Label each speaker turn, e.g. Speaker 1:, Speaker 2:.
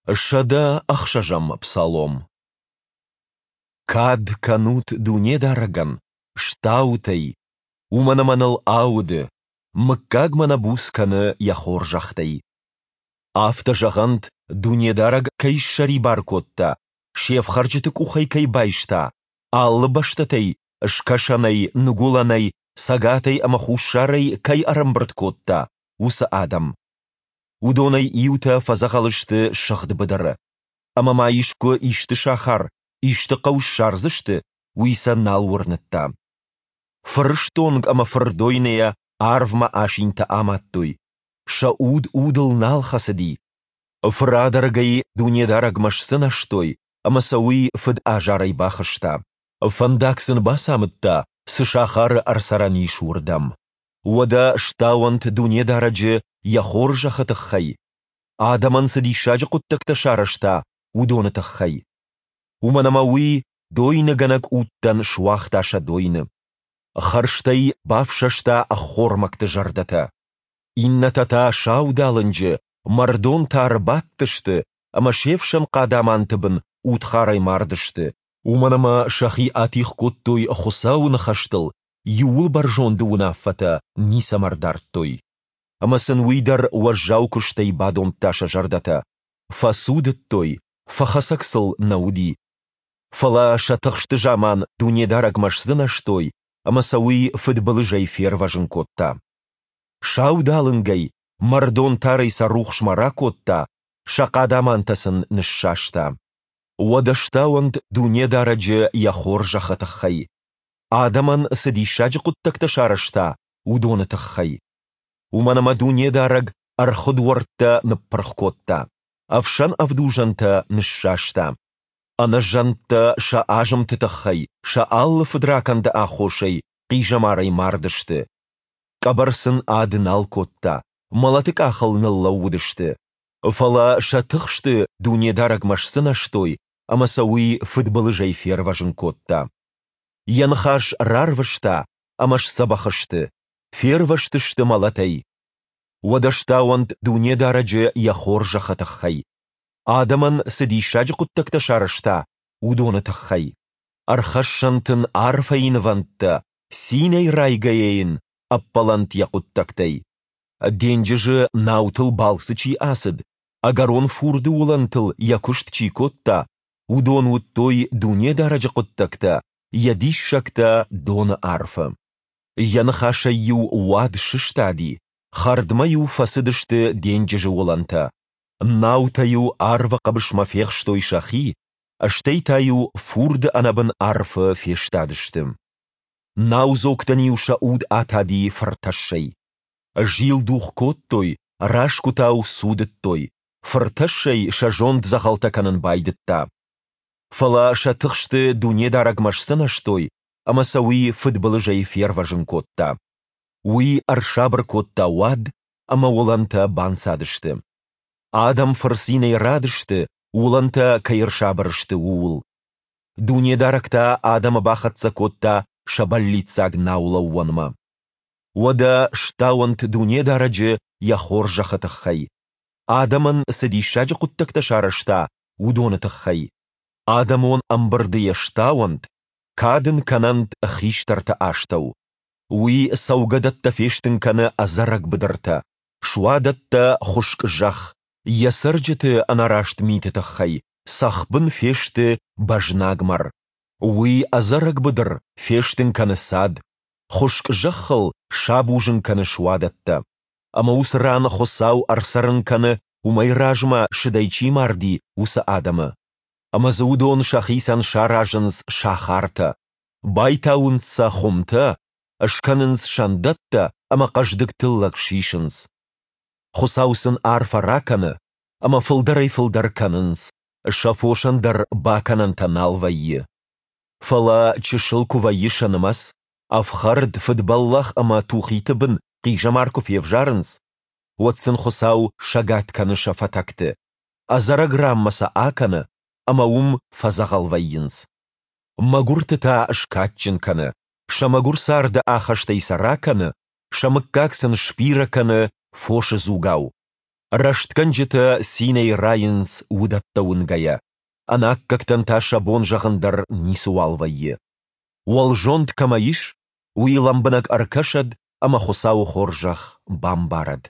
Speaker 1: 106-ӕм псалом. Кад кӕнут Дунедарӕгӕн, стаут ӕй, уымӕн ӕмӕ ныл ауды, мыггагмӕ нӕ буц кӕны Йӕ хорзӕхтӕй. Афтӕ зӕгъӕнт, Дунедарӕг кӕй ссӕрибар кодта, се фхӕрджыты къухӕй кӕй байста, алы бӕстӕтӕй, скӕсӕнӕй, ныгуылӕнӕй, цӕгатӕй ӕмӕ хуссарӕй кӕй ӕрӕмбырд кодта, уыцы адӕм. Уыдонӕй иутӕ фӕдзӕгъӕл сты сыгъд быдыры. Ӕмӕ ма искуы исты сахар, исты хъӕу ссардзысты, уый сӕ нал уырныдта. Фырыстонг ӕмӕ фырдойныйӕ арвмӕ асинтӕ амадтой, сӕ уд удыл нал хӕцыди. Фырадӕргӕй Дунедарӕгмӕ сдзынӕзтой, ӕмӕ сӕ уый фыд азарӕй бахызта. Фӕндаг сын бацамыдта, цы сахары ӕрцӕрӕн ис, уырдӕм. Уӕдӕ стауӕнт Дунедарӕджы Йӕ хорзӕхы тыххӕй, адӕмӕн цы диссаджы хъуыддӕгтӕ сарӕзта, уыдоны тыххӕй. Уымӕн ӕмӕ Уый дойныгӕнӕг удтӕн суагъта сӕ дойны. Хӕрзтӕй бафсӕста ӕххормӕгты зӕрдӕтӕ. Иннӕтӕ та саудалынджы, мӕрдон тары бадтысты ӕмӕ се фсӕн хъадаманты бын удхарӕй мардысты, уымӕн ӕмӕ сӕхи атигъ кодтой Хуыцауы ныхӕстыл, Иууылбӕрзонды уынаффӕтӕ ницӕмӕ рдардтой. Ӕмӕ сын уый дӕр уӕззау куыстӕй бадомдта сӕ зӕрдӕтӕ. Фӕцудыдтой, фӕхӕцӕг сыл нӕ уыди. Фӕлӕ сӕ тыхсты заман Дунедарӕгмӕ сдзынӕзтой, ӕмӕ сӕ уый фыдбылызӕй фервӕзын кодта. Саудалынгӕй, мӕрдон тарӕй сӕ рухсмӕ ракодта, сӕ хъадамантӕ сын ныссаста. Уӕдӕ стауӕнт Дунедарӕджы йӕ хорзӕхы тыххӕй, адӕмӕн цы диссаджы хъуыддӕгтӕ сарӕзта, уыдоны тыххӕй. Уымӕн ӕмӕ Дунедарӕг ӕрхуы дуӕрттӕ ныппырх кодта, ӕфсӕн ӕвдузӕнтӕ ныссаста. Ӕнӕзӕндтӕ сӕ азымты тыххӕй, сӕ алы фыдракӕнды аххосӕй хъизӕмарӕй мардысты. Къӕбӕр сын ад нал кодта, мӕлӕты къахыл ныллӕууыдысты. Фӕлӕ сӕ тыхсты Дунедарӕгмӕ сдзынӕзтой, ӕмӕ сӕ уый фыдбылызӕй фервӕзын кодта. Йӕ ныхас рарвыста, ӕмӕ сдзӕбӕх сты, фервӕзтысты мӕлӕтӕй. Уӕдӕ стауӕнт Дунедарӕджы йӕ хорзӕхы тыххӕй, адӕмӕн цы диссаджы хъуыддӕгтӕ сарӕзта, уыдоны тыххӕй. Ӕрхӕссӕнт ын арфӕйы нывӕндтӕ, цинӕй райгӕйӕ йын ӕппӕлӕнт йӕ хъуыддӕгтӕй. Денджызы наутыл балцы чи ацыд, ӕгӕрон фурды уылӕнтыл йӕ куыст чи кодта, уыдон уыдтой Дунедарӕджы хъуыддӕгтӕ, йӕ диссӕгтӕ доны арфы. Йӕ ныхасӕй-иу уад сыстади, хӕрдмӕ-иу фӕцыдысты денджызы уылӕнтӕ. Наутӕ-иу арвы хъӕбысмӕ фехстой сӕхи, стӕй та-иу фурды ӕнӕбын арфы фестадысты. Наудзогтӕн-иу сӕ уд атади фыртӕссӕй. Зилдух кодтой, расгуытау цудыдтой, фыртӕссӕй сӕ зонд дзӕгъӕлтӕ кӕнын байдыдта. Фӕлӕ сӕ тыхсты Дунедарӕгмӕ сдзынӕзтой, ӕмӕ сӕ уый фыдбылызӕй фервӕзын кодта. Уый ӕрсабыр кодта уад, ӕмӕ уылӕнтӕ банцадысты. Адӕм фырцинӕй радысты, уылӕнтӕ кӕй ӕрсабыр сты, ууыл. Дунедарӕг та адӕмы бахӕццӕ кодта сӕ бӕллиццаг наулӕууӕнмӕ. Уӕдӕ стауӕнт Дунедарӕджы йӕ хорзӕхы тыххӕй, адӕмӕн цы диссаджы хъуыддӕгтӕ сарӕзта, уыдоны тыххӕй. Адӕмон ӕмбырды йӕ стауӕнт, кад ын кӕнӕнт хистӕрты астӕу. Уый цӕугӕдӕттӕ фестын кӕны ӕдзӕрӕг быдыртӕ, суадӕттӕ хуыскъ зӕхх, йӕ цӕрджыты ӕнӕраст миты тыххӕй цӕхбын фесты бӕзнагмӕр. Уый ӕдзӕрӕг быдыр фестын кӕны цад, хуыскъ зӕххыл сабузын кӕны суадӕттӕ. Ӕмӕ уыцы ран Хуыцау ӕрцӕрын кӕны, уымӕй размӕ сыдӕй чи марди, уыцы адӕмы. Ӕмӕ дзы уыдон сӕхицӕн саразынц сахартӕ, байтауынц сӕ хуымтӕ, скӕнынц сӕндӕттӕ ӕмӕ хъӕздыг тыллӕг сисынц. Хуыцау сын арфӕ ракӕны, ӕмӕ фылдӕрӕй-фылдӕр кӕнынц, сӕ фосӕн дӕр бакӕнӕнтӕ нал вӕййы. Фӕлӕ чысыл куы вӕййы сӕ нымӕц, ӕфхӕрд, фыдбӕллӕх ӕмӕ тухиты бын хъизӕмар куы февзарынц, уӕд сын Хуыцау сӕгад кӕны сӕ фӕтӕгты, ӕдзӕрӕг ранмӕ сӕ акӕны, ӕмӕ уым фӕдзӕгъӕл вӕййынц. Мӕгуырты та скадджын кӕны, сӕ мӕгуыр царды ахӕстӕй сӕ ракӕны, сӕ мыггаг сын сбирӕ кӕны фосы дзугау. Рӕстгӕнджытӕ цинӕй райынц уыдӕттӕ уынгӕйӕ, ӕнаккӕгтӕн та сӕ бон зӕгъын дӕр ницыуал вӕййы. Уӕлзонд кӕмӕ ис, уый лӕмбынӕг ӕркӕсӕд ӕмӕ Хуыцауы хорзӕх бамбарӕд.